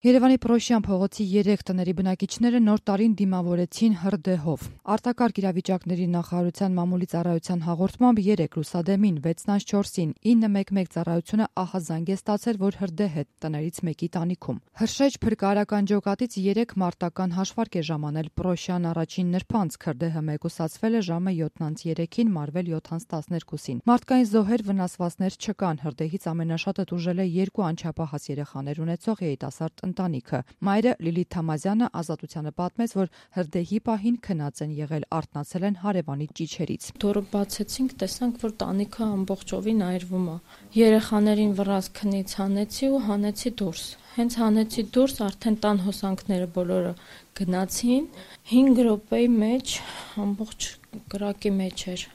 Երևանի Պրոշյան փողոցի 3 տների բնակիչները նոր տարին դիմավորեցին հրդեհով։ Արտակարգ իրավիճակների նախարարության մամուլի ծառայության հաղորդմամբ 3 լուսադեմին 6-4-ին 911 ծառայությունը ահազանգ է ստացել, որ հրդեհ է տներից մեկի տանիքում։ Հրշեջ փրկարարական ջոկատից 3 մարտական հաշվարկ է ժամանել Պրոշյան առաջին նրբանցք, հրդեհը մեկուսացվել է ժամը 7-3-ին, մարվել 7-12-ին։ Մարդկային զոհեր, վնասվածքներ չկան։ Հրդեհից ամենաշատը տուժել է 2 անչափահաս երեխաներ ունեցող երիտասարդ ընտանիքը։ Մայրը Լիլիթ Թամազյանը Ազատությանը պատմեց, որ հրդեհի պահին քնած են եղել, արթնացել են հարևանի ճիչերից։ Դորը բացեցինք, տեսանք, որ տանիքը ամբողջովին այրվում է։ Երեխաներին վրաս քնից հանեցի ու հանեցի դուրս։ Հենց հանեցի դուրս, արդեն տան հոսանքները բոլորը գնացին, 5 րոպեի մեջ ամբողջ կրակի մեջ էր։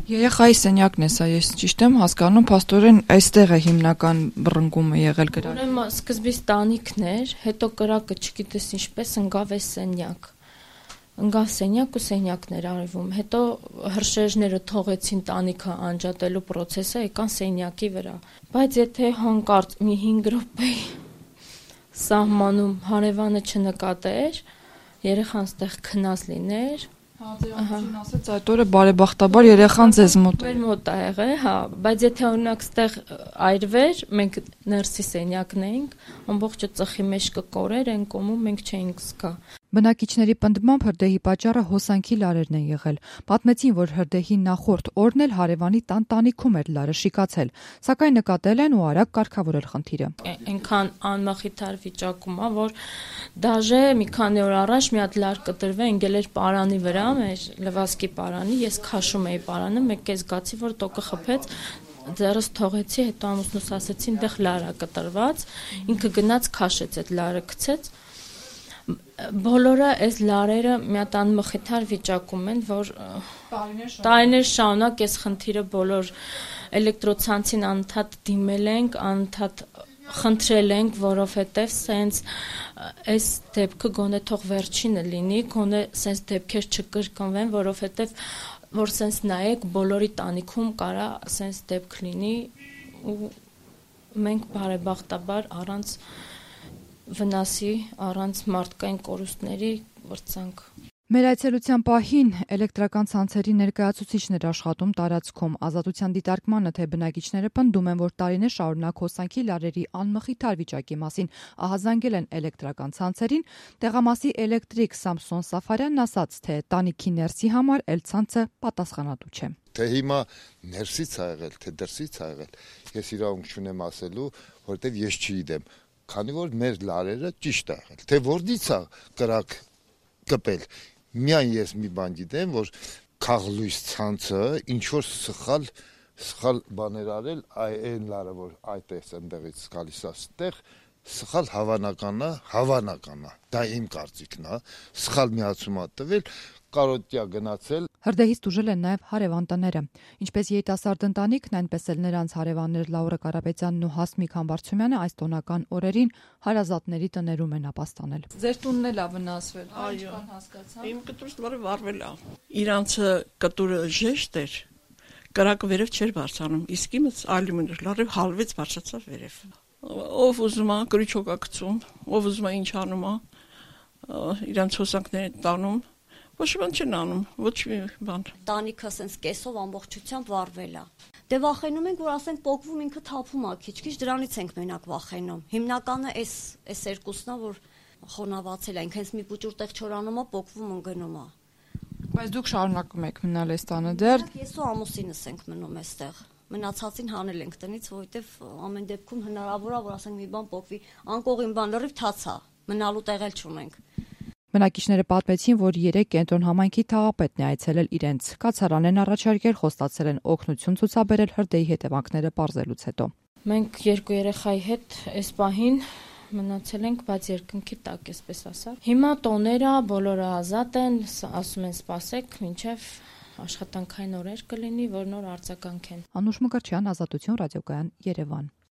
Երեխայի սենյակն է սա, ես ճիշտ եմ հասկանում, փաստորեն այստեղ է հիմնական բռնկումը եղել կրակի։ Ուրեմն սկզբից տանիքն էր, հետո կրակը չգիտես ինչպես ընկավ այս սենյակ։ Ընկավ սենյակ ու սենյակն էր արվում։ Հետո հրշեջները թողեցին տանիքը անջատելու process-ը, եկան սենյակի վրա։ Բայց եթե հանկարծ մի 5 րոպե սահմանում հարևանը չնկատեր, երեխան ստեղ քնած լիներ։ Ասաց այդ օրը բարեբախտաբար երեխան ձեզ մոտ էր մոտ ա եղել, հա, բայց եթե օրինակ ստեղ այրվեր, մենք ներսի սենյակն էինք, ամբողջը ծխի մեջ կկորեր, այն կողմում մենք չէինք զգա։ Բնակիչների պնդմամբ հրդեհի պատճառը հոսանքի լարերն են եղել։ Պատմեցին, որ հրդեհի նախորդ օրն էլ հարևանի տան տանիքում էր լարը շիկացել, սակայն նկատել են ու արագ կարգավորել խնդիրը։ Այնքան անմխիթար վիճակում է, որ դաժե մի քանի օր առաջ մի հատ լար կտրվե ընկել էր պարանի վրա, մեր լվասկի պարանի, ես քաշում էի պարանը, մեկ կես զգացի, որ տոկը խփեց, ձեռս թողեցի, հետո ամուսնուս ասեցին, դեղ լար է կտրված, ինքը գնաց քաշեց, այդ լարը գցեց։ Բոլորը այս լարերը մի հատ անմխիթար վիճակում են, որ տարիներ շարունակ այս խնդիրը բոլոր էլեկտրոցանցին անընդհատ դիմել ենք, անընդհատ խնդրել ենք, որովհետև սենց այս դեպքը գոնե թող վերջինը լինի, գոնե սենց դեպքեր չկրկնվեն, որովհետև որ սենց նայեք բոլորի տանիքում կարա սենց դեպք լինի ու մենք բարեբախտաբար առանց վնասի, առանց մարդկային կորուստների վրցանք։ Մեր այցելության պահին էլեկտրական ցանցերի ներկայացուցիչն էր աշխատում տարածքում։ Ազատության դիտարկմանը, թե բնակիչները պնդում են, որ տարիներ շարունակ հոսանքի լարերի անմխիթար վիճակի մասին ահազանգել են էլեկտրական ցանցերին, տեղամասի էլեկտրիկ Սամսոն Սաֆարյանն ասաց, թե տանիքի ներսի համար էլ ցանցը պատասխանատու չէ։ Թե հիմա ներսից ա եղել, թե դրսից ա եղել, ես իրավունք չունեմ ասելու, որովհետև ես չգիտեմ, քանի որ մեր լարերը ճիշտ ա եղել, թե որտից ա կրակ կպել։ Միայն ես մի բան գիտեմ, որ քաղլույս ցանցը ինչ որ սխալ բաներ արել, այն լարը որ այդտեղից ընդեղից գալիս է ստեղ, սխալ հավանական է, դա իմ կարծիքն է, սխալ միացում ա տվել, կարոտյա գնացել։ Հրդեհից տուժել են նաև հարևան տները։ Ինչպես երիտասարդ ընտանիքն, այնպես էլ նրանց հարևաններ Լաուրա Կարապետյանն ու Հասմիկ Համբարձումյանը այս տոնական օրերին հարազատների տներում են ապաստանել։ Ձեր տունն էլ ա վնասվել, այո, իմ կտուրը վառվել է։ Իրանցը կտուրը ժեշտ էր, կրակը վերև չէր բարձրանում, իսկ իմս ալյումին էր, լարիվ հալվեց բարձրացավ վերև։ Ով ուզում է գրիչոկ ա գցում, ով ուզում է ինչ անում է, իրանց հոսանքները տանում, ոչ մի բան չեն անում, ոչ մի բան։ Տանիքը ասենց կեսով ամբողջությամբ վառվել է։ Դե վախենում ենք, որ ասենք պոկվում ինքը թափում է, քիչ-քիչ դրանից ենք մենակ վախենում։ Հիմնականը այս երկուսն է, որ խոնավացել է, ինքնից մի փուճուր տեղ չորանում է, պոկվում ընկնում է։ Բայց դուք շարունակում եք մնալ այս տանը դեռ։ Ես ու ամուսինս ենք մնում այստեղ։ Մնացածին հանել ենք տնից, որովհետև ամեն դեպքում հնարավոր է, որ ասենք մի բան պոկվի, անկողին բան լրիվ թացա, մնալու տեղ էլ չունենք։ Բնակիչները պատմեցին, որ 3 կենտրոն համայնքի թաղապետն է այցելել իրենց։ Կացարան են առաջարկել, խոստացել են օգնություն ցուցաբերել հրդեհի հետևանքները պարզելուց հետո։ Մենք 2 երեխայի հետ այս պահին մնացել ենք, բայց երկնքի տակ, այսպես ասած։ Հիմա տոները բոլորը ազատ են, ասում են սպասեք, մինչև աշխատանքային օրեր կլինի, որ նոր արձագանքեն։ Անուշ Մկրտչյան, Ազատություն ռադիոկայան, Երևան։